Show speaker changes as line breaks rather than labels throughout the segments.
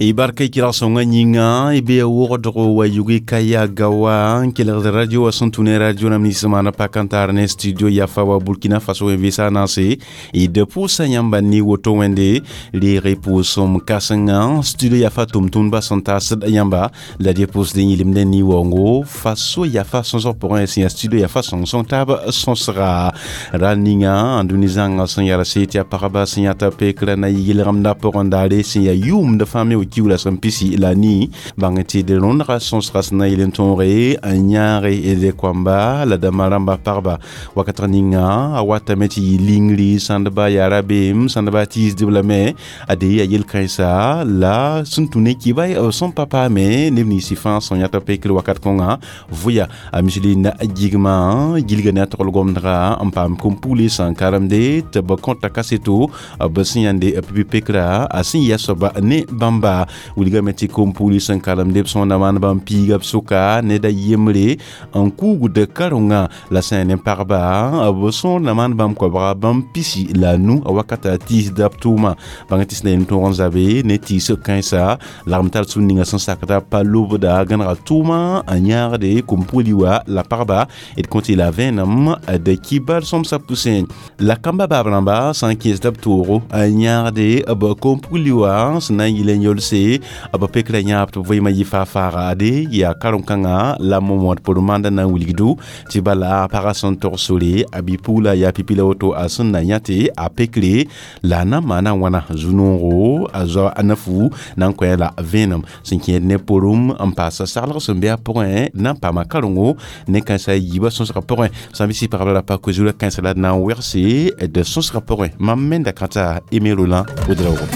Y barka kɩrg sõngã yĩnga y bee wogdgo wa yugi kaya gawa n kelgd radio wa sẽn tũ ne radio rãmb nins maana pak n tar ne studio yafa wa Burkina Faso wẽn vɩɩsã naase y d pʋʋsa yãmba ne woto wẽnde reeg pʋʋsem kãsenga studio yafa tʋm-tʋmdbã sẽn taasd yãmba la dɩ pʋʋsd n yɩlemdẽ ne-waoongo Faso yafa sõsg pʋgẽ sẽn yaa studio yafa sõng-sõng taab sõsga ra ninga n dũni zãnga sẽn yaa se tɩ yaa pagba sẽn yãta pekrã na yɩ yelgemdã pʋgẽ daare sẽn yaa yʋʋmd fãa me wa kiuula sẽn pisi la ni bãng tɩ d rõndga sõsga sẽn na yel n tõoge n yãage d koamba la dãmba rãmba pagba wakat ninga a watame tɩ yɩ lingri sãndba yaa rabeem sãndba tiisdb lame ade yaa yel-kãensa la sẽn tũ ne kɩba sẽn pa paame neb ninsɩ fãa sẽn yãta pekr wakat kõnga vʋya a Micheline gigma gilga ne a togl gomdga n paam kom-pugli sẽn karemde tɩ b kõta kaseto b sẽn yãnde pipi pekra a sẽn yɩ a soaba ne bãmba wilgame tɩ kom-pugli sẽn karemde b sõnda maan bãmb piiga b sʋka ned a yembre n kuugd karongã la sã yaa ne pagba b sõorda maan bãmb koabga bãmb pisi la a nu a wakata tiisda b tʋʋma bãng tɩ sẽn na yel n tõog n zabe ne tiis kãensa lagm tar sũn ninga sẽn sakda pa lobda gãnega tʋʋma n yãagde kom-pugli wa la pagba d kõt la vẽenem d kibar sõmsã pʋsẽ la kamba baab rãmba sã n kẽesda b toogo n yãagde b kom-pugli wa sẽn na n yɩl n yolse b pekrã yãab tɩ b vɩɩmã yɩ faa-faaga ade yaa karen-kãngã la momod pʋr-manda na n wilgdo tɩ bala pagã sẽn tog sore a bi-pugla yaa pipi la woto a sẽn na yã tɩ a pekre la a na n maana wãna zu-noogo a zoa a nafu na n kõ la vẽenem sẽn kẽed ne porum n paasa saglg sẽn be a pʋgẽ na n paama karengo ne kãensã yiibã sõsgã pʋgẽ sã n bɩ sɩ pagb la pa koe-zurã kãensã la d na n wegse d sõsgã pʋgẽ mam menda kãta Aimé Roland Ouedraogo.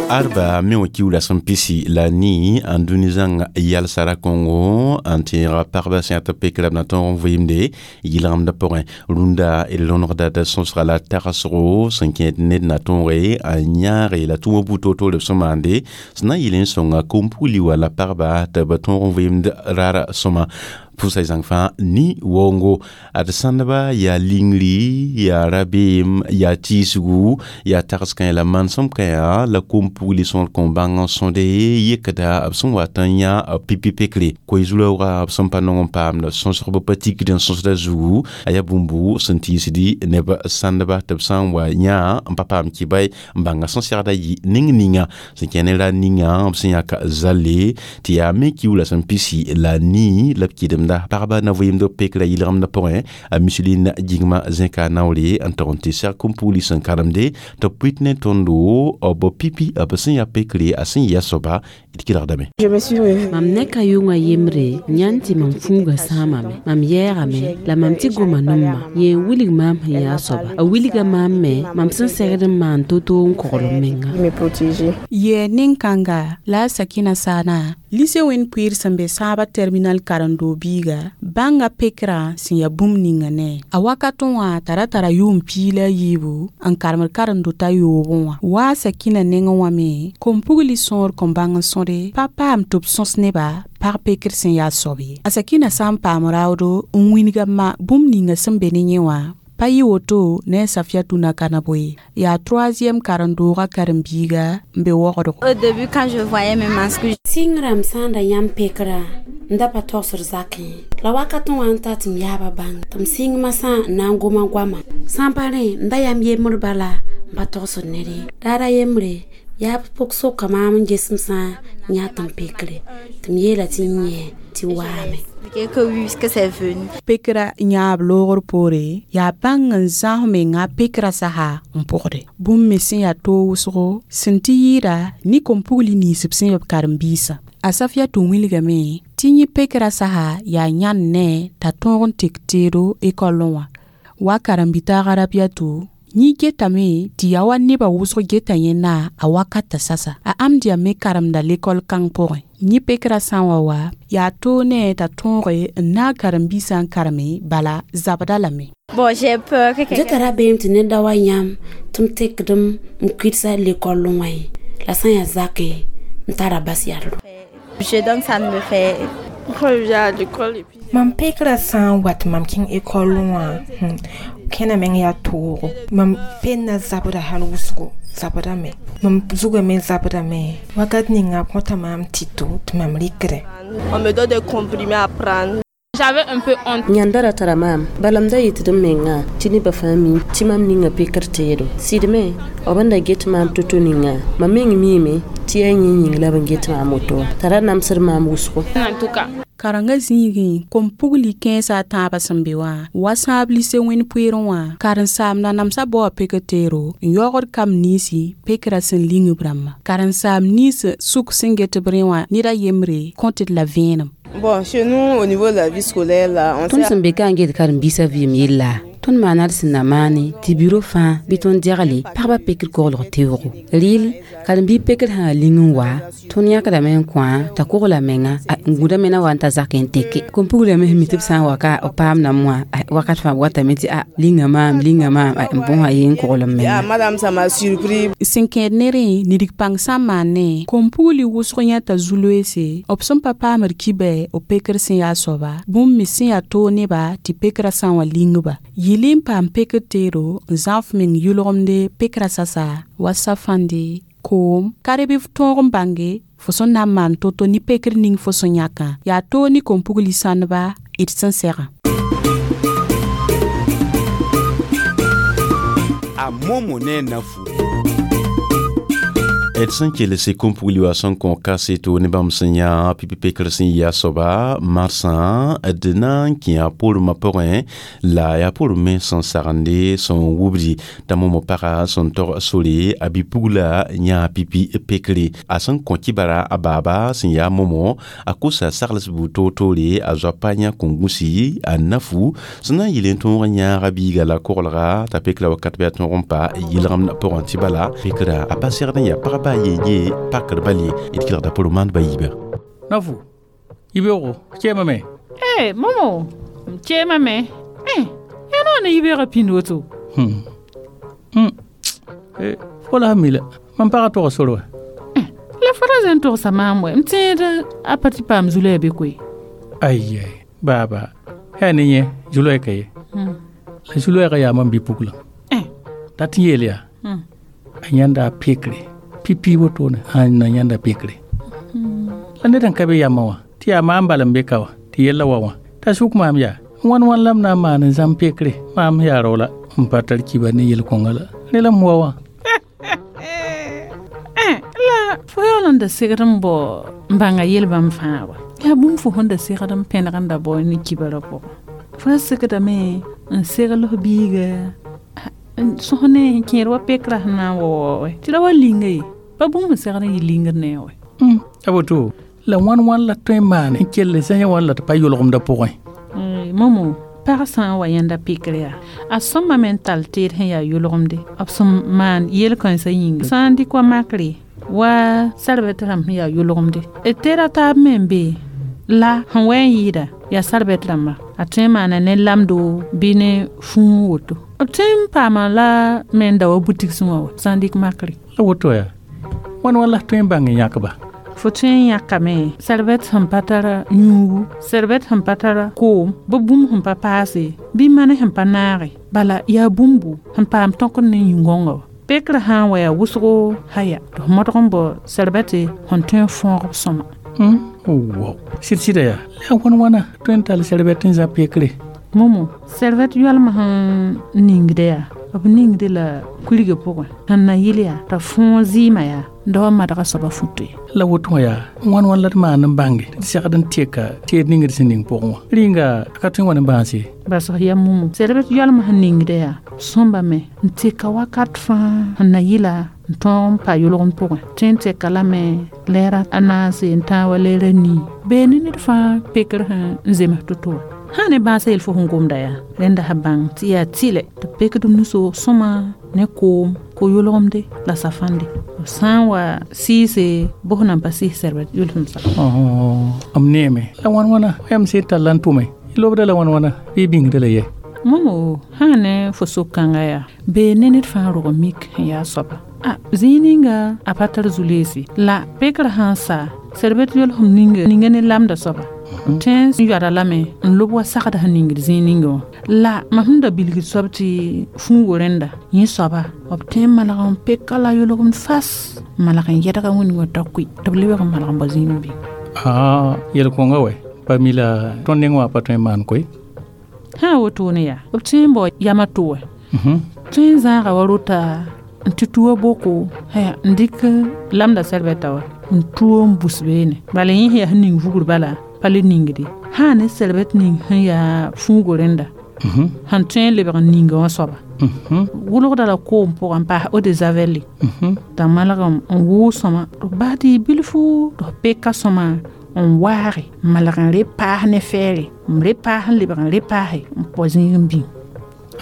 Arba me wa kiuula sẽn pisi la ni n dũni zãng yalsara kõngo n tẽega pagba sẽn yaa tɩ pekra b na tõog n vɩɩmde yɩlgemdã pʋgẽ rũndã d rõnegda d sõsga la tagsgo sẽn kẽed ned na tõoge n yãage la tʋʋmã buud toor-toore b sẽn maande sẽn na n yɩl n sõnga kom-pugli wa la pagba tɩ b tõog n vɩɩmd raara sõma pʋʋsa zãng fãa ni waoongo ad sãndba yaa lingri yaa rabeem yaa tiisgu yaa tags kãe la manesem kãea la kom-pugli sõor kõn bãng n sõde yekda b sẽn wat n yã pipi pekre koe-zu-raooga b sẽn pa nong n paamd sõsg b pa tikd n sõsda zugu a yaa bũmbu sẽn tiisdi neb sãndba tɩ b sã n wa yã n pa paam kɩba n bãnga sẽn segda yɩ ning ninga sẽn kẽ ne ra ninga b sẽn yãk zalle tɩ yaa me kiuula sẽn pisi la ni la b kɩdemda pagba na vɩɩmd pekra yɩlgemdã pʋgẽ a Micheline gĩgmã zẽka naoore n tog n tɩ seg kom-pugli sẽn karemde tɩ b pʋɩt ne tõndo b pipi b sẽn yaa pekre a sẽn yɩ a soaba d kɩrgdame.
Je me suis réveillée.
Mam neka yʋngã yembre yãnd tɩ mam fuugã sãamame mam yɛɛgame la mam tɩ goma nemma yẽ n wilg maam sẽn yaa soaba a wilga maam me mam sẽn segd n maan to-to n kogl m menga.
Me protéger.
Yɛ nin-kãnga la a Sakina Sana lycée wẽn-pʋɩɩr sẽn be sãabã terminal karen-doog biiga bãnga pekrã sẽn yaa bũmb ninga ne a wakatẽ wã t'a ra tara yʋʋm piig la a yiibu n karemd karen-dota yoobẽ wã wa a Sakina nengẽ wã me kom-pugli sõor kõn bãng n sõde pa paam tɩ b sõs neba pag pekr sẽn yaa soab ye a Sakina sã n paam raoodo n wĩnga ma bũmb ninga sẽn be ne yẽ wã pa yɩ woto ne a Safiatou Nakanabo ye yaa troisième karen-doogã karen-biiga n be wogdgo.
Au début, quand je voyais mes masques,
Sɩng rãmb sã n da yãmb pekrã n da pa togsd zakẽ la wakatẽ wã n ta tɩ m yaaba bãng tɩ m sɩng masã n na n goma goama sã n pa rẽ n da yam yembr bala n pa togsd ned ye daara yembre yaa pʋg soka maam n ges m sã n yã tɩ m pekre tɩ m yeela tɩ n yẽ tɩ waame.
Expliqué que oui, que c'est venu.
Pekra yãab loogr poore yaa bãng n zãs menga pekra sasa n pʋgde bũmb me sẽn yaa toog wʋsgo sẽn tɩ yɩɩda ne kom-pugli nins b sẽn ya b karen-biisã a Safiatou wilgame tɩ yẽ pekra sasa yaa yãnd ne t'a tõog n tek teedo ekɔllẽ wã wa karen-bi-taagã Rabiatou yẽ getame tɩ yaa wa nebã wʋsg geta yẽnda a wakata sasa a amdiya me karemda lekɔl kãng pʋgẽ yẽ pekrã sã n wa wa yaa toog ne t'a tõoge n naag karen-biisã n kareme bala zabda lame.
Bon, j'ai peur que
Dẽ
quelqu'un
tara beem tɩ ned da wa yãmb tɩ m tekdem n kʋɩdsa lekɔllẽ wã ye la sã n yaa zakẽ n tara bas yadlo.
Je donc ça me fait
Quand je viens à l'école et puis
Mam pekrã sã n wat mam kẽng ekɔlẽ wã
Kẽna meng yaa toogo. Mam penda zabda hal wʋsgo zabdame. Mam zugame zabdame. Wakat ninga b kõta maam tɩto tɩ mam rɩkdẽ.
On me donne des comprimés à prendre.
J'avais un peu honte.
Yãnda ra tara maam bala m da yetd m mengã tɩ nebã fãa mi tɩ mam ninga pekr teedo. Sɩd me b n da get maam to-to ninga mam meng miime tɩ yaa yẽ yĩng la b n get maam woto wã t'a ra namsd maam wʋsgo.
En tout cas.
Karengã zĩigẽ kom-pugli kẽesã a tãabã sẽn be wã wa sãab lise wẽnd poeerẽ wã karen-saamdã namsa baoa pekr teero n yaoogd kamb niynsi pekrã sẽn ling b rãmbã. Karen-saam nins sʋk sẽn get b rẽ wã ned a yembre kõt d la vẽenem.
Bon, chez nous, au niveau de la vie scolaire, là, on
Tõnd sẽn be ka n get karen-biisã vɩɩm yella tõnd maana d sẽn na maane tɩ biro fãa bɩ tõnd dɛgle pagba pekr koglg teoogo. Rɩɩl karen-biig pekr sã ling n wa tõnd yãkdame n kõ t'a kogla menga n gũdame na wa n ta zak n teke. Kom-puglame sẽn mi tɩ b sã n wa ka b paam nam wã wakat fãa b watame tɩ a linga maam n bõsa ye n kogl m menga.
Madame, ça m'a surpris.
Sẽn kẽed ne rẽ nidg pãng sã n maane kom-pugli wʋsg yãta zu-loeese b sẽn pa paamd kibɛ b pekr sẽn yaa soaba bũmb me sẽn yaa toog neba tɩ pekrã sã n wa ling-ba. Yɩl n paam pekr teero n zãf meng yʋlgemde pekrã sasa wa safãnde koom ka bɩ f tõog n bãnge fo sẽn na n maan to-to ne pekr ning fo sẽn yãkã yaa toog ne kom-pugli sãndba d sẽn segã.
A momo ne nafu.
D sẽn kelse kom-pugli wa sẽn kõ kaseto ne bãmb sẽn yã pipi pekr sẽn yɩ a soaba marsã d na n kẽ a pormã pʋgẽ la yaa porem me sẽn sagende sẽn wubdi t'a momo paga sẽn tog sore a bi-pugla yã pipi pekre a sẽn kõ kibara a baaba sẽn yaa momo a kosa sagls buud toor-toore a zoapa yã kõn-gũsi a nafu sẽn na n yɩl n tõog n yãaga biiga la koglga t'a pekra wakat bɩ a tõog n pa yɩlgemd pʋgẽ tɩ bala pekra a pa segd n yaa pagba ye pakr bale d kelgda pʋr maand ba yiiba.
Nafu yibeoogo kẽemame.
Eh, momo m kẽemame. Eh, yaa noor ne yibeoogã pĩnd woto.
Fo la sẽn mi la mam pagã tog sor wa.
La fo ra zẽn togsa maam wɛ m tẽed a pa tɩ paam zu-loɛɛ be koe.
Ai baaba yaa ne yẽ zu-loɛɛ ka ye la zu-loɛɛgã yaa mam bi-puglã dat n yeel yaa a yãnda a pekre pipi wotone sã na yãnda pekre la ned n ka be yamã wã tɩ yaa maam bal n be ka wã tɩ yella wa wã t'a sʋk maam yaa wãn wãn la m na n maan n zãm pekre maam yaa rao la n pa tar kiba ne yel-kõnga la rẽ la m wa wã.
La fo yaool n da segd n bao n bãnga yel bãmb fãa wa yaa bũmb fo sẽn da segd n pẽneg n da bao ne kibarã pʋgẽ fo ra segdame n segl f biiga sõs ne kẽed wa pekrã sẽn na n wa wa tɩ ra wa linga ye pa bũmb sẽn segd n yɩ lingd ne wɛ.
A woto la wãn wãn la tõe n maan n kell zã wãn la tɩ pa yʋlgemdã pʋgẽ.
Momo pag sã n wa yãnda pekr yaa a sõmbame n tall teed sẽn yaa yʋlgemde b sẽn maan yel-kãensã yĩnga sã n dɩk wa makre wa sarbɛt rãmb sẽn yaa yʋlgemde d teeda taab me n be la sẽn wɛ n yɩɩda yaa sarbɛt rãmba a tõe n maana ne lamdo bɩ ne fũu woto b tõe n paama la me n da wa butigsẽ wã wa sã n dɩk makre.
La woto yaa wãn wãn la tõe n bãng n yãkba.
Fo tõe n yãkame sarbɛt sẽn pa tara yũugu sarbɛt sẽn pa tara koom bɩ bũmb sẽn pa paase bɩ mane sẽn pa naage bala yaa bũmbu sẽn paam tõkd ne yĩn-gõngã wa pekrã sã n wa yaa wʋsgo haya tɩ f modg n bao sarbɛte sẽn tõe n fõog b sõma.
Wo sɩd-sɩda yaa la yaa wãn wãna tõe n tall sarbɛt n zã pekre.
Momo sarbɛt yoalmã sẽn ningda yaa b ningde la kurigã pʋgẽ sẽn na yɩl yaa t'a fõog zɩɩmã yaa da wa madga soaba futo ye.
La woto wã yaa wãn wãn la d maan n bãnge tɩ d segd n teka teed ning d sẽn ning pʋgẽ wã rĩnga a ka tõe n wa ne bãase.
Bas f yaa momo sarbɛt yoalmã sẽn ningda yaa sõmbame n teka wakat fãa sẽn na yɩla n tõog n pa yʋlgem pʋgẽ tõe n teka lame lɛɛra a naase n tãag wa lɛɛra nii bee ne ned fãa pekr sẽn n zems to-to wã sã ne bãasã yel fo sẽn gomda yaa rẽnda sã bãng tɩ yaa tɩlɛ tɩ pekd nusoog sõma ne koom ko yʋlgemde la safãnde b sã n wa sɩɩse bos nan pa sɩɩs sɛrbɛt yʋlsem sa.
M neeme la wãn wãna yam sẽn tall n tʋme lobda la wãn wãna bɩ bĩngda la yɛ.
Momo sã ne fo sok-kãnga yaa bee ne ned fãa rog mik sẽn yaa soaba a zĩig ninga a pa tar zu-leese la pekrã sã n sa sɛrbɛt yolsem ninga ninga ne lamda soaba. Tẽn yoada lame n lob wa sagd sẽn ningd zĩig ninga wã la mam sẽn da bilgd soab tɩ fũugo rẽnda yẽ soaba b tõe n malg n peka la yʋlgem fas malg n yɛdga wĩndg wã t'a kʋɩ tɩ b lebg n malg n bao zĩig n bĩng.
Yel-kõnga wɛ pa mi la tõnd neng wã pa tõe n maan koe.
Sã wotone yaa b tõe n bao yamã to wɛ tõe n zãaga wa rota n tɩ tuwa boko n dɩk lamda sɛrbɛta wa n tuo n bus beene bala yẽ sẽn yaa sẽn ning vugr bala pa le ningde sã ne sɛrbɛt ning sẽn yaa fũugo rẽnda sẽn tõe n lebg n ninga wã soaba wʋlgda la koom pʋgã n paas eau de javel t'a malg n wʋʋg sõma tɩ b bas tɩ yɩ bilfu tɩ f peka sõma n waage n malg n repaas ne fɛɛre n repaas n lebg n repaase n pɔ zĩig n bĩng.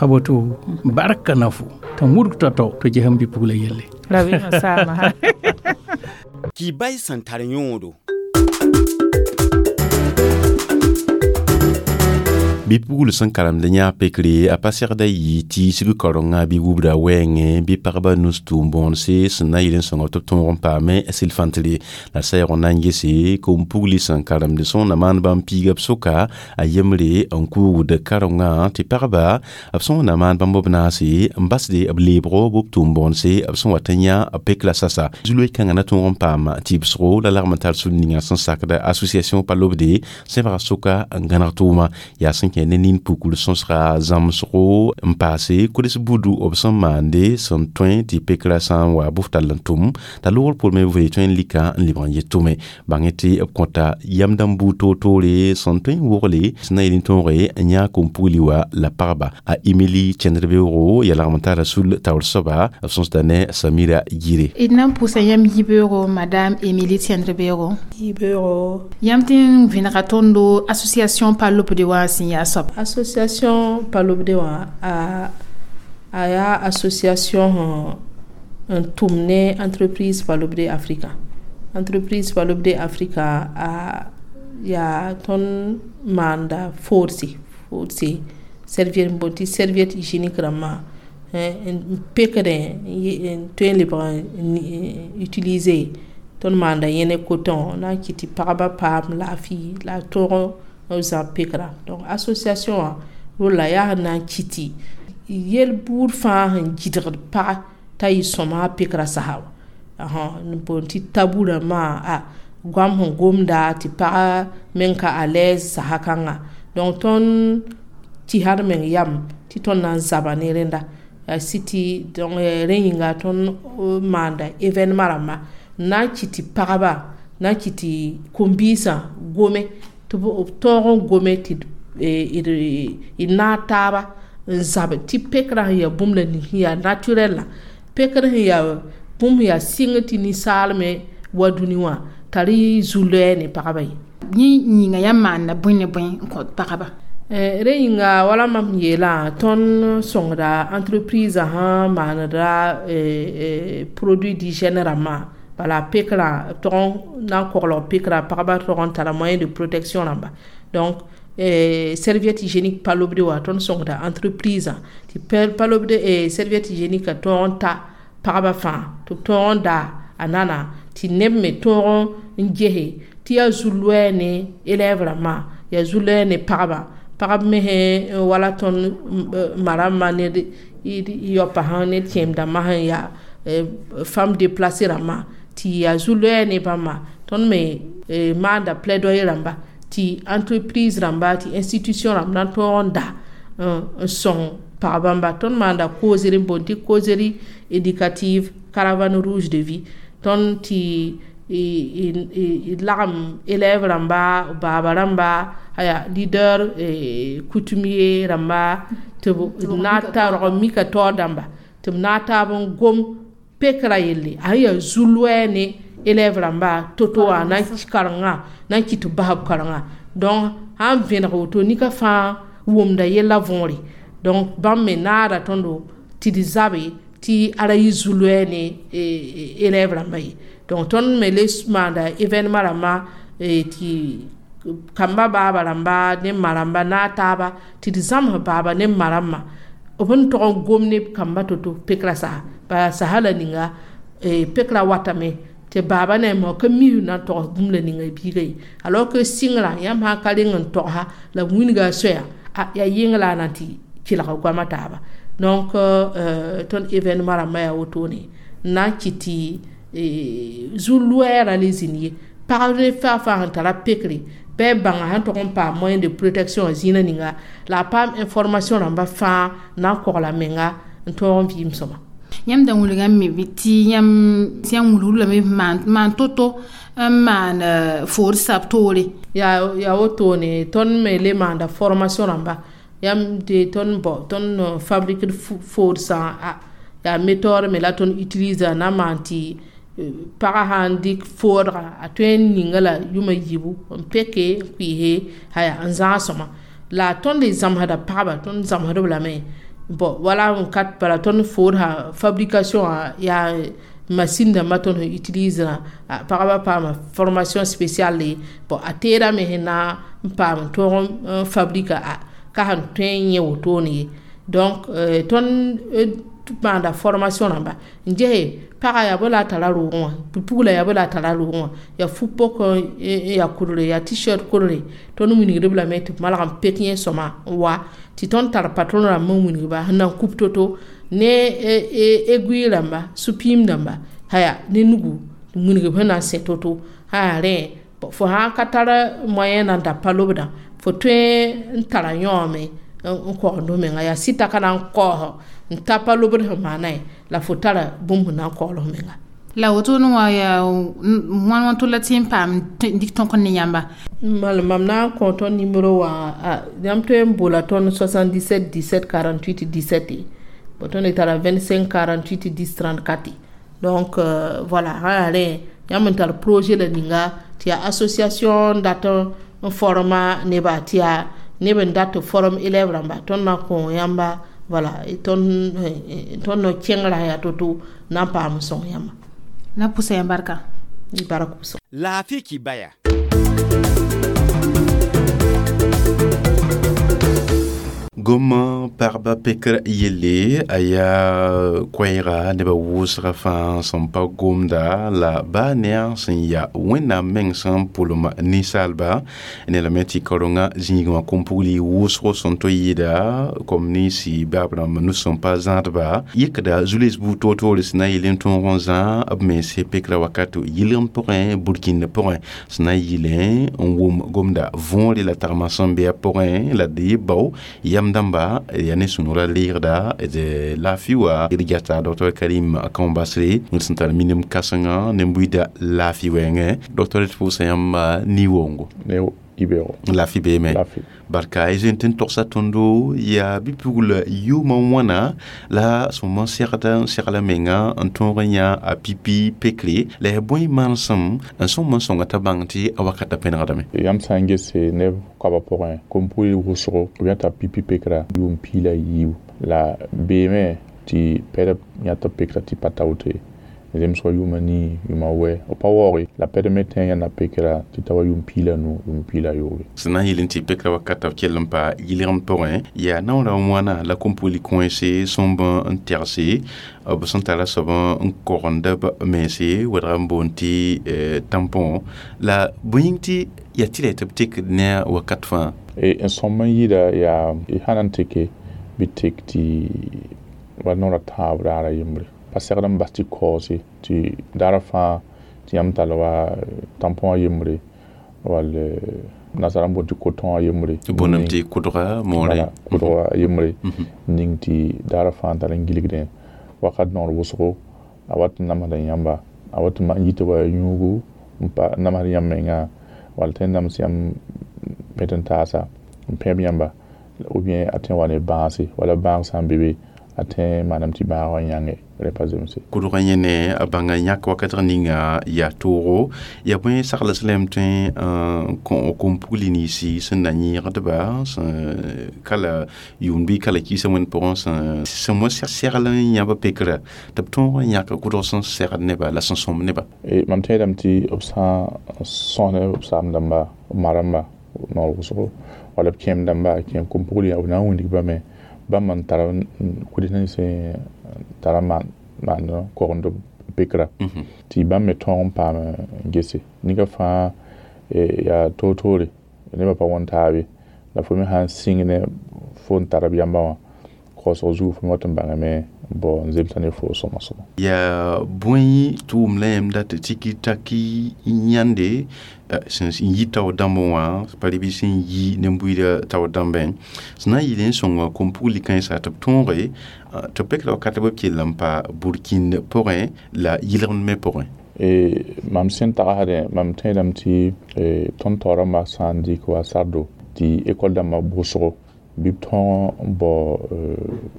A woto barka na fo t'a wudg tao-tao tɩ ges n bi-pugla yelle.
Rabeemã saama.
Kibay sẽn tar yõodo.
Bɩ pugl sẽn karemd yã pekre a pa segda yɩ tiisg karenga bɩ wubda wɛɛngẽ bɩ pagba nus tʋʋm bõonse sẽn na yɩl n sõng tɩ b tõog n paame sɩl-fãntre la saɛg n na n gese kom-pugli sẽn karemd sõng na maan bãmb piiga b sʋka a yembre n kuugd karengã tɩ pagba b sõng na maan bãmb b naase n basde b leebgo bɩ b tʋʋm bõonse b sẽn wat n yã b pek la sasa zu-loe kãngã na tõog n paam tɩbsgo la lagm n tar sũn ninga sẽn sakda association pa lobde sẽbga sʋka n gãneg tʋʋma yaa sẽn kẽ ne nin pukr sõsga zãmsgo n paase kodes budu b sẽn maande sẽn tõe tɩ pekra sã n wa bʋf tall n tʋm t'a loogr pʋʋr me vee tõe n lika n lebg n yet tʋme bãng tɩ b kõta yam dãmb buud toor-toore sẽn tõe n wogle sẽn na yel n tõoge n yã kom-pugli wa la pagba a Emili Cẽndr-beoogo yaa lagm n tara sul taoor soaba b sõsda ne Samira Yire.
D na n pʋʋsa yãmb yibeoogo madame Emily Cẽndr-beoogo.
Yibeoogo.
Yãmb tɩ n vẽnega tõndo association pa lobde wã sẽn yaa soab.
Association Palobde wã a yaa association n tʋm ne entreprise Palobde Africa. Entreprise Palobde Africa a yaa tõnd maanda foorse serviette n boond tɩ serviette hygiénique rãmbã n pekdẽ n tõe n lebg n utiliser tõnd maanda yẽ ne coton na n kɩt tɩ pagba paam laafɩ la a tõog n zãb pekra. Donc association wã rolla yaa sẽn na n kɩt tɩ yel buud fãa sẽn gɩdgd paga t'a yɩ sõma a pekra sasa wã n boond tɩ tabu rãmbã a goam sẽn gomda tɩ paga meng ka à l'aise sasa kãnga. Donc tõnd tɩsd meng yam tɩ tõnd na n zaba ne rẽnda yaa sɩ tɩ donc rẽ yĩnga tõnd maanda événement rãmba n na n kɩt tɩ pagba na n kɩt tɩ kom-biisã gome tɩ b tõog n gome tɩ d naag taaba n zab tɩ pekrã sẽn yaa bũmb la ning sẽn yaa naturel la pekr sẽn yaa bũmb sẽn yaa sɩng tɩ ninsaal me wa dũni wã t'a rɩ zu-loɛɛ ne pagba ye.
Yẽ yĩnga yãmb maanda bõe ne bõe n kõt pagba?
Rẽ yĩnga wala mam yeelã tõnd sõngda entreprise sã maanda produit d'hygiène rãmbã bala pekrã tog n na n koglg pekrã pagba tog n tara moyen de protection rãmba. Donc serviette hygiénique pa lobde wã tõnd sõngda entreprise tɩ pa lobde serviette hygiénique a tõog n ta pagba fãa tɩ b tõog n daa a nana tɩ neb me tõog n gese tɩ yaa zu-loɛɛ ne élève rãmbã yaa zu-loɛɛ ne pagba pagb mesẽ wala tõnd ma rãmbã ned yaopa sã ne kẽem dãmbã sẽn yaa femme déplacée rãmbã tɩ yaa zu-loɛɛ ne bãmba tõnd me maanda plaidoyer rãmba tɩ entreprise rãmba tɩ institution rãmb na n tõog n da n sõng pag bãmba. Tõnd maanda causerie n boond tɩ causerie éducative caravane rouge de vie tõnd tɩ d lagem élève rãmba baaba rãmba aya leader coutumier rãmba tɩ b naag ta rog mika taoor dãmba tɩ b naag taab n gom pekra yelle a sẽn yaa zu-loɛɛ ne élève rãmba to-to wã na n karengã na n kɩt tɩ b bas b karengã. Donc sãn vẽneg woto nika fãa wʋmda yella võore. Donc bãmb me naada tõndo tɩ d zabe tɩ a ra yɩ zu-loɛɛ ne élève rãmba ye. Donc tõnd me le maanda événement rãmbã tɩ kamba baaba rãmba ne ma rãmba naag taaba tɩ d zãms baaba ne ma rãmbã b n tog n gom ne kamba to-to pekra sasa bala sasa la ninga pekra watame Tɩ baaba ne a ka mi na n togs bũmb la ninga biiga ye. Alors que sɩngrã yãmb sã n ka reng n togsa la b wilga a soya, a yaa yɩng la a na tɩ kelg goamã taaba. Donc tõnd événement rãmbã yaa wotone n na n kɩt tɩ zu-loɛɛrã le zĩnd ye. Pagb ne faa fãa sẽn tara pekre bɩ b bãnga sẽn tog n paam moyen de protection zĩnã ninga la a paam information rãmba fãa na n kogla menga n tõog n vɩɩm sõma.
Yãmb da wilgame tɩ yãmb sẽn wilgd lame maan to-to n maan foor sab toore.
Yaa wotone tõnd me le maanda formation rãmba yãmb tɩ tõnd bɔ tõnd fabrique foodsã yaa méthode me la tõnd utilise na n maan tɩ paga sã n dɩk foodga a tõe n ninga la yʋma yiibu n peke n kʋɩɩse haya n zãag sõma. La tõnd le zãmsda pagba, tõnd zãmsd-b lame bon wala n kat bala tõnd foodsa fabrication yaa machine dãmbã tõnd sẽn utilise pagba paama formation spéciale. Bon, a teedame sẽn na n paam n tõog n fabrique a ka sẽn tõe n yẽ wotone ye. Donc tõnd maanda formation rãmba n gese paga yaa bõ la a tara roogẽ wã, pugla yaa bõ la a tara roogẽ wã, yaa fu-pok yaa kudre yaa t-shirt kudre. Tõnd wilgd-b lame tɩ b malg n pek yẽ sõma n wa tɩ tõnd tar patron rãmb n wilg-ba sẽn na n kup to-to ne aiguille rãmba, sũ-piim dãmba haya ne nugu wilg b sẽn na n sẽ to-to sã yaa rẽ. Fo sã n ka tar moyen na n da pa lobdã, fo tõe n tara yãoome n kogend f menga yaa sɩta ka na n kaoos n ta pa lobd sẽn maana ye la fo tara bũmb sẽn na n kaool f menga.
La wotone wã yaa wãn wãn tʋ la tɩ n paam dɩk tõk ne yãmba?
Mal mam na n kõ tõnd nimero wã, yãmb tõe n bola tõnd 77 17 48 17, bon tõnd tara 25 48 10 34. Donc voilà, sã yaa rẽ yãmb n tar projet la ninga tɩ yaa association dat n forma neba tɩ yaa neb n dat form élève rãmba, tõnd na n kõ yãmba. Voilà, tõnd no kẽngrã yaa to-to na n paam n sõng yãmba.
Na pʋsa yãmb barka.
Bark pʋsg.
Laafɩ kibaya.
Goma pagba pekr yelle a yaa koɛɛga nebã wʋsga fãa sẽn pa gomda la baa ne a sẽn yaa Wẽnnaam meng sẽn pʋlem ninsaalba ne lame tɩ kaorengã zĩigẽ wã kom-pugli wʋsgo sẽn to yɩɩda kom ninsi baab rãmb nu sẽn pa zãadba yɩkda zu-loees buud toor-toore sẽn na n yɩl n tõog n zã b mense pekrã wakat yɩlgem pʋgẽ burkĩnd pʋgẽ sẽn na n yɩlẽ n wʋm gomda võore la tagmã sẽn be a pʋgẽ la d yɩ bao yam dãmba yaa ne sũ-noorã leegda d laafɩ wa d gata Dr Karim Kãombasre sẽn tar minim kãsenga ne buiida laafɩ wɛɛngẽ. Docteur, d pʋʋsa yãmba ni-woongo. Laafɩ beeme barka y zoe tɩ n togsa tõndo yaa bɩ-pugl yʋʋmã wãna la sõm n segd n segla menga n tõog n yã a pipi pekre la yaa bõe manesem n sõm n sõnga t'a bãng tɩ a wakatã pẽnegdame.
Yãmb sã n gese neb koabã pʋgẽ kom-pugl wʋsgo b yãta pipi pekra yʋʋm piig la yiibu la beeme tɩ pɛdb yãt b pekra tɩ pa taote zemsgã yʋʋma nii yʋʋma wɛ b pa waooge la pɛd me tẽ yãnda pekra tɩ ta wa yʋʋm piig la nu yʋʋm piig la yoobe.
Sẽn na n yɩl n tɩ pekra wakata b kell n pa yɩlgem pʋgẽ yaa naoorã wãna la kom-pugl kõese sõmb n tɛgse b sẽn tara soab n kogend b mense wɛdg n boond tɩ tampon la bõe yĩng tɩ yaa tɩ la tɩ b tekd ne a wakat fãa.
N sõm n yɩɩda yaa y sã na n teke bɩ tek tɩ wa noorã tãab raara yembre pa segd n bas tɩ kaoose tɩ daarã fãa tɩ yãmb tall wa tampon a yembre wall nasara n boond tɩ coton a yembre.
Boondame tɩ kʋdga moore.
Kʋdga a yembre ning tɩ daarã fãa n tar n gilgdẽ wakat noor wʋsgo a wat n namsda yãmba a wat n yita wa yũugu n pa namsd yãmb menga wall tõe n nams yãmb pẽt n taasa n pẽb yãmba ou bien a tõe n wa ne bãase wala bãag sã n be be a tõe n maanam tɩ bãag wã yãnge rẽ pa zemse.
Kʋdg yẽ ne a bãnga yãk wakatg ninga yaa toogo yaa bõe sagls lame tõe n kõ kom-pugli ninsi sẽn na yẽegdba sẽn kala yʋʋm bɩ kala kiisã wẽnd pʋgẽ sẽn wã segl n yãb pekrã tɩ b tõog n yãk kʋdg sẽn segd neba la sẽn sõm neba.
Mam tẽedame tɩ b sã n sõs ne b saam dãmba b ma rãmba noor wʋsgo wala b kẽem dãmba kẽem kom-pugli b na n wilg bame bãmb n tar kuds nins tara maan kogend pekra tɩ bãmb me tõog n paam n gese ninga fãa yaa toor-toore nebã pa wõn taab ye la fo me sãn sɩng ne fo n tar b yamba wã kaoosg zugu fo me wat n bãngame bao n zemsa ne fo sõma sõma.
Yaa bõe tʋʋm la yãmb dat tɩ taki n yãnde sẽn yi tao dãmb wã pa bɩ sẽn yi nin-buiidã tao dãmbẽ sẽn na n yɩl n sõnga kom-pugli kãensa tɩ b tõoge tɩ b pekra wakat b kell n pa burkĩnd pʋgẽ la yɩlgemd me pʋgẽ.
Mam sẽn tagsdẽ mam tẽedame tɩ tõnd taoorãmbã sã n dɩk wa sardo tɩ école dãmbã bʋsgo bɩ b tõog n bao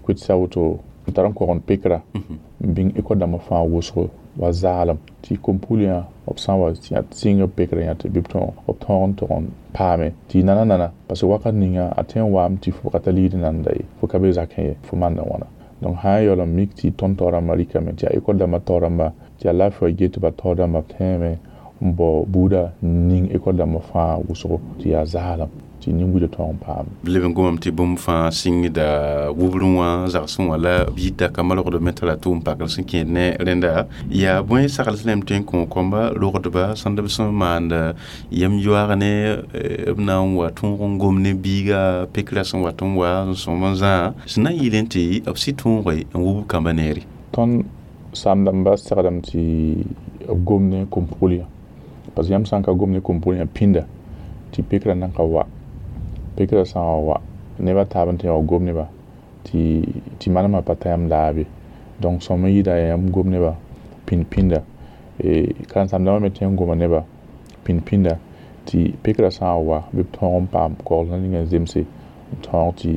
kʋɩdsa woto n tar n kogend pekra n bĩng école dãmbã fãa wʋsgo wa zaalem tɩ kom-pugliyã b sã n wa sɩng b pekrã yã tɩ bɩ b tõog n tog n paame tɩ nana nana parce que wakat ninga a tõe n waame tɩ fo ka tar ligd nanda ye fo ka be zakẽ ye fo maanda wãna. Donc sã n yaool n mik tɩ tõnd taoorãmbã rɩkame tɩ yaa école dãmbã taoorãmba tɩ yaa laafɩ wa get tɩ ba taoor-dãmba b tẽeme n bao buuda n ning école dãmbã fãa wʋsgo tɩ yaa zaalem tɩ nin-buidã tõog n paame.
Leb n gomame tɩ bũmb fãa sɩngda wubr wã zagsẽ wã la b yita ka malgd me tara tʋʋm pakr sẽn kẽed ne rẽnda yaa bõe sagls lame tõe n kõ kõmba rogdba sãnd b sẽn maand yam yoaag ne b na n wa tõog n gom ne biiga pekrã sẽn wat n wa n sõm n zã sẽn na n yɩlẽ tɩ b sɩ tõoge n wub kambã neere.
Tõnd saam-dãmbã segdame tɩ b gom ne kom-pugliyã parce que yãmb sã n ka gom ne kom-pugliyã pĩnda tɩ pekrã nan ka wa pekrã sã n wa wa nebã taab n tɩ wa gom neba tɩ manemã pa ta yãmb laab ye. Donc sõm n yɩɩda yãmb gom neba pĩnd pĩnda karen-saam-dãmbã me tõe n goma neba pĩnd pĩnda tɩ pekrã sã n wa bɩ b tõog n paam kaoosg ning n zemse n tõog tɩ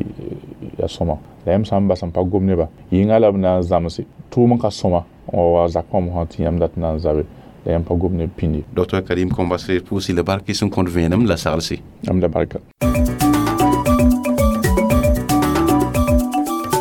yaa sõma la yãmb sã n bas n pa gom neba yɩnga la b na n zãmse tʋʋm n ka sõma n wa wa zakã wã mosã tɩ yãmb dat n na n zabe la yãmb pa gom ne pĩnd ye.
Dr Karim Kombasre pʋʋsɩ la bark sẽn kõt vẽenem la saglse.
Yãmb la barka.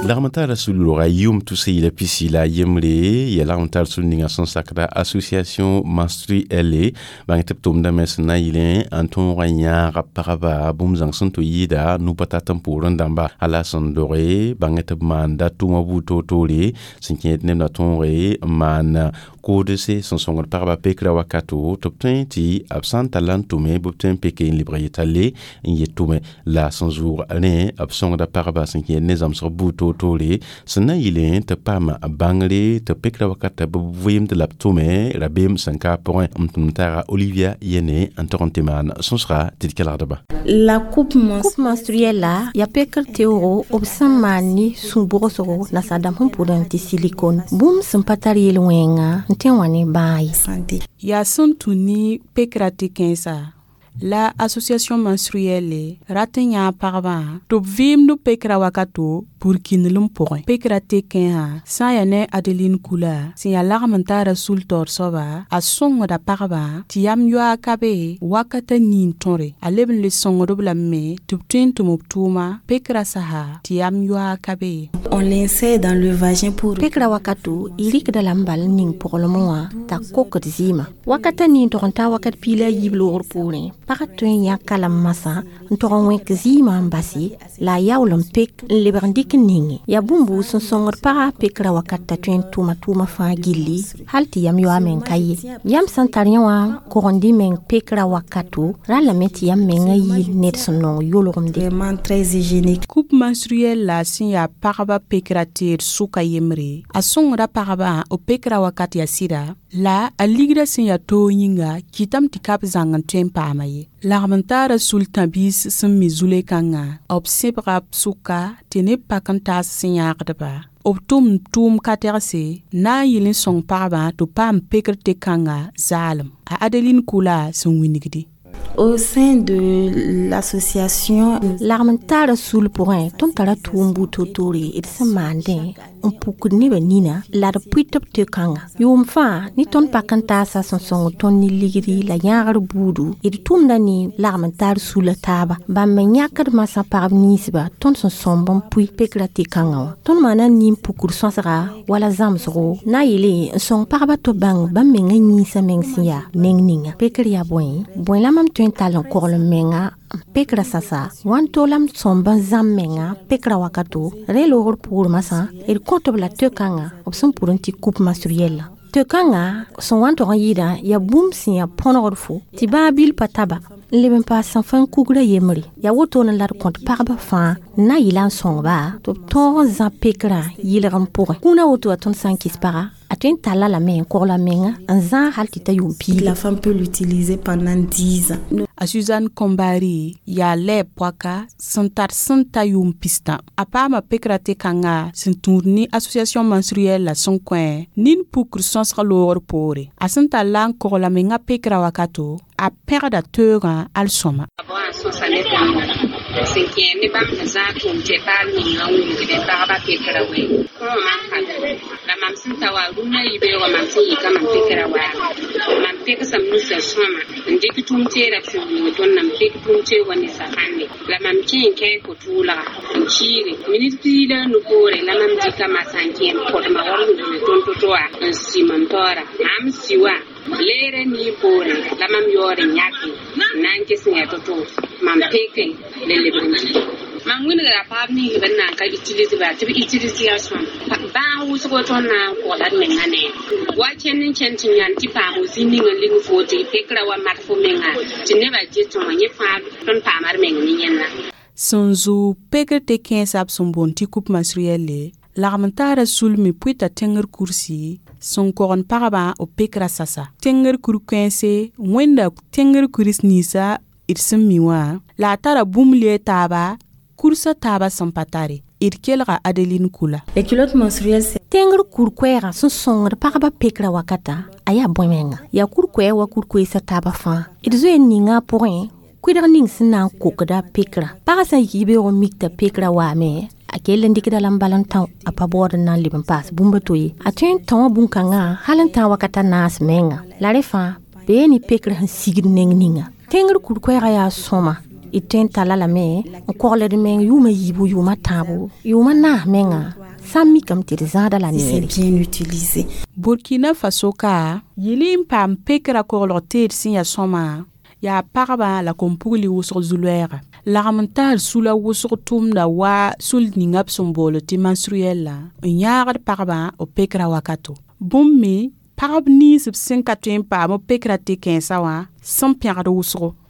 Lagm tara sul-loga yʋʋm tʋs yɩla pisi la yembre ya lagm tar sul ninga sẽn sakda association menstruelle bãng tɩ b tʋmdame sẽn na n yɩlẽ n tõog n yãaga pagba bũmb zãng sẽn tɩ yɩɩda nu-pa-tat n poorẽ dãmba ala sẽn doge bãng tɩ b maanda tʋʋmã buud toor-toore sẽn kẽed neb na tõoge n maan koodse sẽn sõngd pagba pekrã wakato tɩ b tõe tɩ b sã n talla n tʋme bɩ b tõe n peke n lebg yetale n yet tʋme la sẽn zʋʋg rẽ b sõngda pagba sẽn kẽed ne zãmsg buud toor-toore sẽn na n yɩlẽ tɩ paam bãngre tɩ pekrã wakata bɩ b vɩɩmd la b tʋme rabeem sẽn ka pʋgẽ n tʋm taaga Olivia Yene n tog n tɩ maan sõsga tɩ d kelgdba.
La coupe menstruelle la yaa pekr teoogo b sẽn maan ne sũ-bʋgsgo nasaar-dãmb sẽn pʋdẽ tɩ silicone bũmb sẽn pa tar yel-wẽnga n tõe n wa ne bãag ye.
Yaa sẽn tũ ne pekrã tɩ kãensa la association menstruelle rat n yãag pagba tɩ b vɩɩmd pekrã wakato burkĩndlem pʋgẽ pekrã tekẽesã sã n yaa ne Adeline Kula sẽn yaa lagm n taara sul-taoor soaba a sõngda pagba tɩ yam yoaag ka be wakata niin tõre a leb n le sõngd-b lame me tɩ b tõe n tʋm b tʋʋma pekrã sasa tɩ yam yoaag ka be.
On l'insère dans le vagin pour pekrã wakato y rɩkda lame bal n ning pʋglem wã t'a kokd zɩɩmã wakata niin tog n taa wakat piig la a yiib loogr poorẽ pag tõe n yãk kalam masã n tog n wẽk zɩɩmã n base la a yaool n pek n lebg n dɩk n ninge yaa bũmb sẽn sõngd pagã pekrã wakat t'a tõe n tʋma tʋʋmã fãa gilli hal tɩ yam yoa meng ka ye yam sẽn tar yẽ wã kogend y meng pekrã wakato ra lame tɩ yam mengã yɩ ned sẽn nong yolgemde.
Coupe menstruelle la sẽn yaa pagba pekrã teed sʋka yembre a sõngda pagba b pekrã wakat yaa sɩda la a ligrã sẽn yaa toog yĩnga kɩtame tɩ ka b zãng n tõe n paama ye. Lagm n taara sul-tãbiis sẽn mi zule-kãngã b sẽbga b sʋka tɩ neb pak n taas sẽn yãagdba b tʋm tʋʋm ka-tɛgse na n yɩl n sõng pagba tɩ b paam pekr tɩ-kãngã zaalem a Adeline Kula sẽn wilgde.
Au sein de l'association lagm n taara sul pʋgẽ tõnd tara tʋʋm buud toor-toore d sẽn maandẽ n pukd nebã nina la d pʋɩ tɩ b tɩ-kãnga yʋʋm fãa ne tõnd pak n taasa sẽn sõng tõnd ne ligdi la yãagr buudu d tʋmda ne lagm n taar sula taaba bãmb me yãkd masã pagb ninsba tõnd sẽn sõmb n pʋɩ pekrã tɩ-kãngã wã tõnd maana nin pukd sõsga wala zãmsgo na n yeele n sõng pagba tɩ bãng bãmb mengã yĩnsã meng sẽn yaa neng ninga pekr yaa bõe bõe la mam tõe n tall n kogl n menga n pekrã sasa wãn-to la m sõmb n zãmb menga pekrã wakato rẽ loogr poor masã d kõt b la tɩ-kãngã b sẽn pʋd n tɩ coupe menstruelle. Tɩ kãngã sẽn wa n tog n yɩɩdã yaa bũmb sẽn yaa põnegd fo tɩ bãa bil pa taba n leb n paas sẽn fãn kugrã yembre. Yaa wotone la d kõt pagba fãa n na n yɩla n sõngba tɩ b tõog n zã pekrã yɩlgem pʋgẽ. Kũunã woto wa tõnd sã n kɩs paga a tõe n talla lame n kogla menga n zãag hal tɩ ta yʋʋm piiga.
La femme peut l'utiliser pendant 10 ans.
A Suzanne Kombari yaa lɛɛb poaka sẽn tar sẽn ta yʋʋm pistã. A paama pekrã tɩ kãnga sẽn tũud ne association menstruelle la sẽn kõ nin pukr sõsg loogr poore. A sẽn tar la n kogla menga pekrã wakato, a pẽgda teoogã al sõma.
Sẽn kẽ ne bãmb sẽn zãag tʋʋm tɩ paal ninga n wilgdẽ pagba pekrã wɛ kõo mam ka la mam sẽn ta wa rũnã yibeoogã mam sẽn yika mam pekrã waame mam pegsam nusã sõma n dɩk tʋʋm-teerã sẽn wilg tõnd n pek tʋʋm-teoogã ne safãnde la mam kẽ n kɛɛ ko-tʋʋlga n kiire minit piig la a nu poore la mam dɩka masã n kẽ n pʋdma wall n wilg tõnd to-to wã n si mam taoora mam si wã leerã nii poore la mam yaood n yãke n na n ges n yaa to-to mam peke la lebg n dɩ mam wilgra paab ninsb n na n ka utilise ba tɩ b utilise yaa sõm bãag wʋsgo tõnd na n kogla d menga nee wa kẽnd n kẽnd tɩ yãnd tɩ paamo zĩ ning n ling foo tɩ pekrã wa mat fo menga tɩ nebã get wã yẽ fãa tõnd paama d meng ne yẽnna.
Sẽn zʋʋg pekr tɩ kẽesa b sẽn boond tɩ coupe menstruelle lagm n taara sulme pʋɩta tẽngr kursi sẽn kogend pagba b pekrã sasa. Tẽngr kur-kãense wẽnda tẽngr kuris ninsã d sẽn mi wã la a tara bũmb lee taaba kursa taaba sẽn pa tare. D kelga Adeline Kula.
Les culottes menstruelles,
Tẽngr kur-koɛɛgã sẽn sõngd pagba pekrã wakata a yaa bõe menga. Yaa kur-koɛɛg wa kur-koeesã taaba fãa. D zoe n ninga a pʋgẽ kʋɩdg ning sẽn na n kokda pekrã. Pagã sã n yik yibeoog n mik t'a pekrã waame a kell n dɩkda la n bal n tão a pa baood n na n leb n paas bũmb a to ye. A tõe n tão bũn-kãngã hal n tã wakata naas menga. La rẽ fãa bee ne pekrã sẽn sigd neng ninga. Tẽngr kur-koɛɛgã yaa sõma d tõe n talla lame n kogld meng yʋʋma yiibu yʋʋma tãabo yʋʋma naas menga sã n mikame tɩ d zãada la
si c'est
neere.
bien utilisé.
Burkina Faso ka yɩl n paam pekrã koglg teed sẽn yaa sõma yaa pagba la kom-pugli wʋsg zu-loɛɛga. Lagm n taar sula wʋsg tʋmda wa sul ninga b sẽn bool tɩ menstruelle n yãagd pagba b pekrã wakato. Bũmb me pagb nins b sẽn ka tõe n paam b pekrã tɩ kẽesa wã sẽn pẽgd wʋsgo.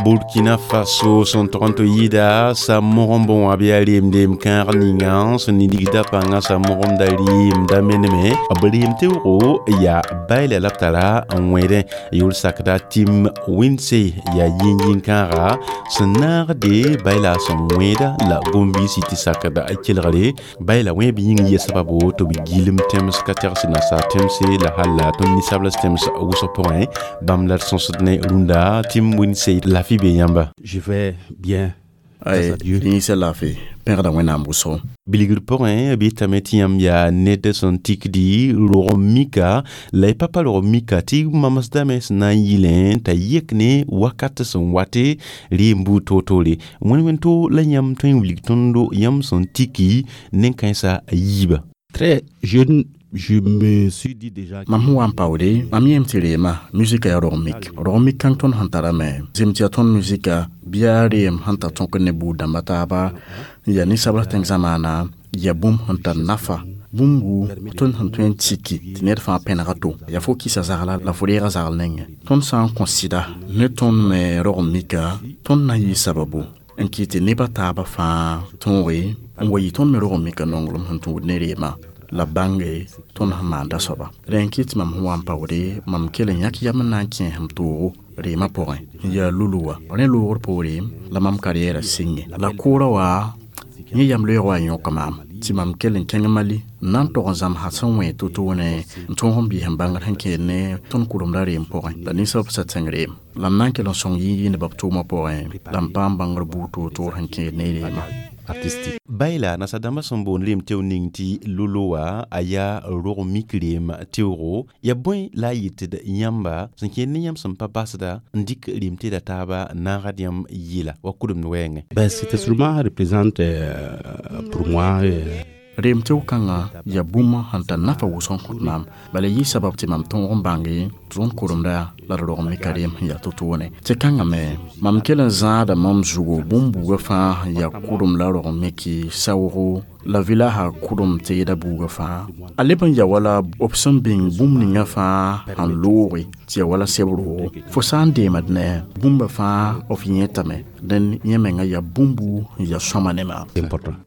Burkina Faso sẽn tog n tɩ yɩɩda sa mogemb wã bɩ yaa reemdeem kãag ninga sẽn nidgda pãngã sa mogemda reemda meneme b reem teoogo yaa baila la b tara n wẽedẽ yʋl sakda tɩm wẽnse yaa yĩn-yĩn kãaga sẽn naagde baila sẽn wẽeda la gom-biisi tɩ sakda kelgre baila wẽeb yĩng yɛ sababo tɩ b gilem tẽms ka tɛgs nasaar tẽmse la hal la tõnd ninsabls tẽms wʋsg pʋgẽ bãmb la d sõsd ne rũndã tɩm wẽnse lafi be yãmba.
Je vais bien.
Ay, yĩsa laafɩ pẽgda Wẽnnaam wʋsgo.
Bilgr pʋgẽ b yetame tɩ yãmb yaa ned sẽn tikdi rog mika la y pa pa rog mika tɩ mamsdame sẽn na n yɩlẽ t'a yek ne wakat sẽn wate reem buud toor-toore wẽn-wẽn-to la yãmb tõe n wilg tõndo yãmb sẽn tiki nen-kãensã a yiiba.
Très jeune, je me suis dit déjà
Mam sẽn wa n paoode mam yẽem tɩ reema musika yaa rog mik rog mik kãng tõnd sẽn tarame zem tɩ yaa tõnd musika bɩ yaa reem sẽn tar tõk ne buud dãmba taaba n yaa ninsabl tẽng zamaana yaa bũmb sẽn tar nafa bũmb wuu tõnd sẽn tõe n tiki tɩ ned fãa pẽnega to yaa fo kɩsa zagla la fo reega zagl nengẽ tõnd sã n kõ sɩda ne tõnd me rog mika tõnd na n yɩ sababu n kɩ tɩ nebã taabã fãa tõoge n wa yɩ tõnd me rog mika nonglem sẽn tũud ne reema la bãnge tõnd sẽn maanda soaba rẽ n kɩt tɩ mam sẽn wa n paoode mam kell n yãk yam n na n kẽes m toogo reemã pʋgẽ n yaa lulu wa rẽ loogr poore la mam karɩɛɛrã sɩnge la kʋʋrã wa yẽ yam loeeg wa n yõk maam tɩ mam kell n kẽng Mali n na n tog n zãmsa sẽn wẽ to-toone n tõog n biis n bãngr sẽn kẽed ne tõnd kʋremda reem pʋgẽ la ninsab sa tẽng reem la m na n kell n sõng yĩn-yĩndbã b tʋʋmã pʋgẽ la m paam bãngr buud toor-toor sẽn kẽed ne reemã.
Artistique. Baila nasadãmbã sẽn boond reem teo ning tɩ lolo wã a yaa rog mik reem teoogo ya bõe la a yetd yãmba sẽn kẽed ne yãmb sẽn pa basda n dɩk reem teeda taaba naagd yãmb yɩla wa kʋdemd wɛɛngẽ.
Ben, cet instrument représente pour moi
Reem teoog kãngã yaa bũmb sẽn tar nafa wʋsg n kõt maam. Bala yɩ sabab tɩ mam tõog n bãnge tɩ tõnd koremda la d rog n mika reem sẽn yaa to-toone. Tɩ kãngã me mam kell n zãada mam zugu bũmb buugã fãa sẽn yaa kʋdem la rog n miki saoogo la vɩlaasã kʋdem teeda buugã fãa. A leb n ya wala b sẽn bĩng bũmb ninga fãa sẽn looge tɩ ya wala seb roogo. Fo sã n deemd ne bũmba fãa f yẽetame dẽn yẽ menga yaa bũmbu n ya sõma ne maam.
Important.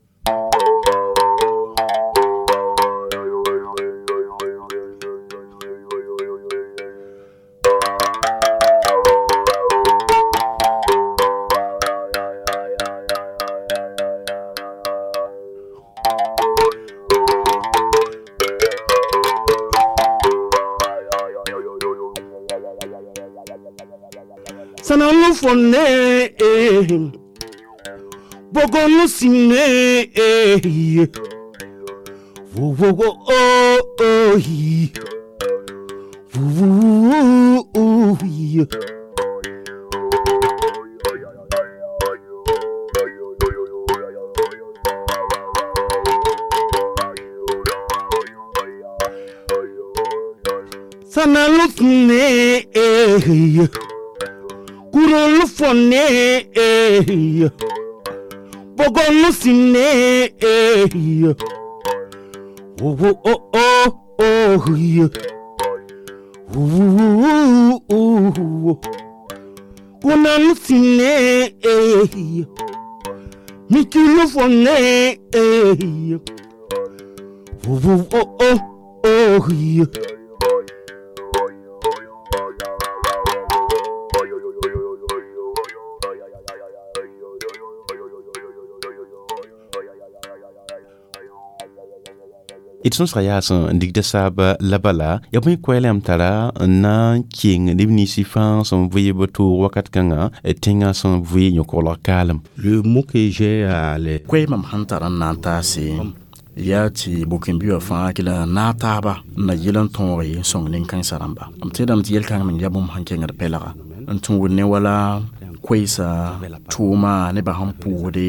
Sananu fonne bogonu sine wo wo wo o o hi wo wo o hi. Sananu sine kurolu fonne bogonu sine wo wo o o o wo wo kunanu sine mikulu fonne wo wo o o o.
D sõsga yaa sẽn digda saaba la bala ya bõe koɛɛlame tara n na n keng neb ninsɩ fãa sẽn vɩ b toog wakat kãngã tẽngã sẽn vɩ yõ-koglg kaalem.
Le mot que j'ai à les
Koɛɛ mam sẽn tar n na n taase yaa tɩ bʋ-kẽn-bi wã fãa kɩ la naag taaba n na yɩl n tõoge n sõng nin-kãensã rãmba. M tẽedame tɩ yel-kãng meng yaa bũmb sẽn kẽngd pɛlga n tũud ne wala koɛɛsa tʋʋma nebã sẽn pʋʋsde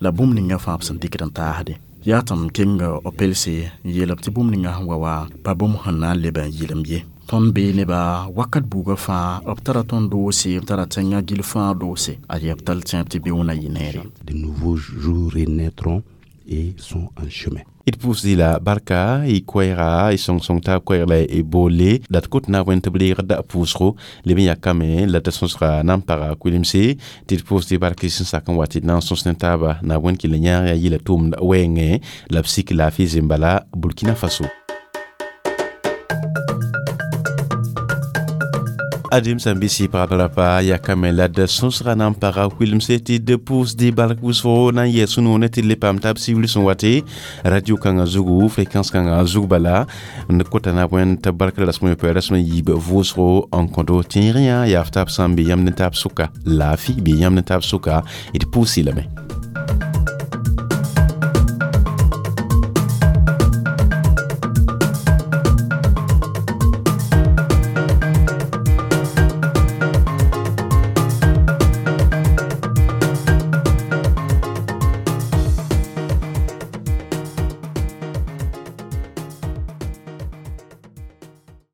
la bũmb ninga fãa b sẽn dɩkd n taasde. Yaa tɩ m keng b pelse n yeel b tɩ bũmb ninga sẽn wa wa pa bũmb sẽn na n leb n yɩlem ye. Tõnd bee neba wakat buugã fãa b tara tõnd doose, b tara tẽngã gill fãa doose. A yaa b tall tẽeb tɩ beoonã yɩ neere.
De nouveaux jours renaîtront et sont en chemin.
D pʋʋsdɩ la barka y koɛɛga y sõng-sõng taab koɛɛg la y boole la d kot na n wẽnd tɩ b reegd pʋʋsgo leb n yakame la d sõsga na n paga kuilemse tɩ d pʋʋsdɩ bark sẽn sak n wa tɩ d na n sõs ne taaba na wẽnd kɩ la yãag yaa yɩla tʋʋmd wɛɛngẽ la b sik laafɩ zembala Burkina Faso. Adem sãn bɩ pagb rapa yakame la d sõsga na n paga kuilemse tɩ d pʋʋsdɩ bark wʋsgo na n yɛs sũ-noone tɩ d le paam taab sibr sẽn wate radio kãngã zugu fréquence kãngã zug bala n kota na wẽnd tɩ bark la rasem yopoe rasem yiib vʋʋsgo n kõdo tẽeg yã yaa f taab sã n be yãmb ne taab sʋka laafɩ bee yãmb ne taab sʋka d pʋʋsɩ lame.